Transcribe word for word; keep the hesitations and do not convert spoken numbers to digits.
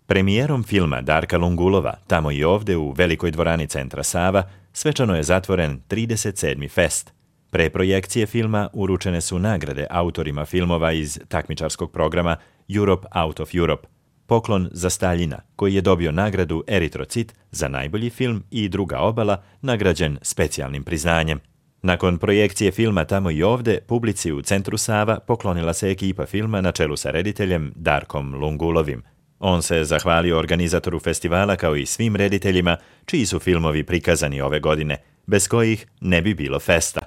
Premijerom filma Darka Lungulova, Tamo i ovde u velikoj dvorani Centra Sava, svečano je zatvoren trideset sedmi fest. Pre projekcije filma uručene su nagrade autorima filmova iz takmičarskog programa Europe Out of Europe. Poklon za Staljina, koji je dobio nagradu Eritrocit za najbolji film, i Druga obala, nagrađen specijalnim priznanjem. Nakon projekcije filma Tamo i ovde, publici u Centru Sava poklonila se ekipa filma na čelu sa rediteljem Darkom Lungulovim. On se zahvalio organizatoru festivala kao i svim rediteljima čiji su filmovi prikazani ove godine, bez kojih ne bi bilo festa.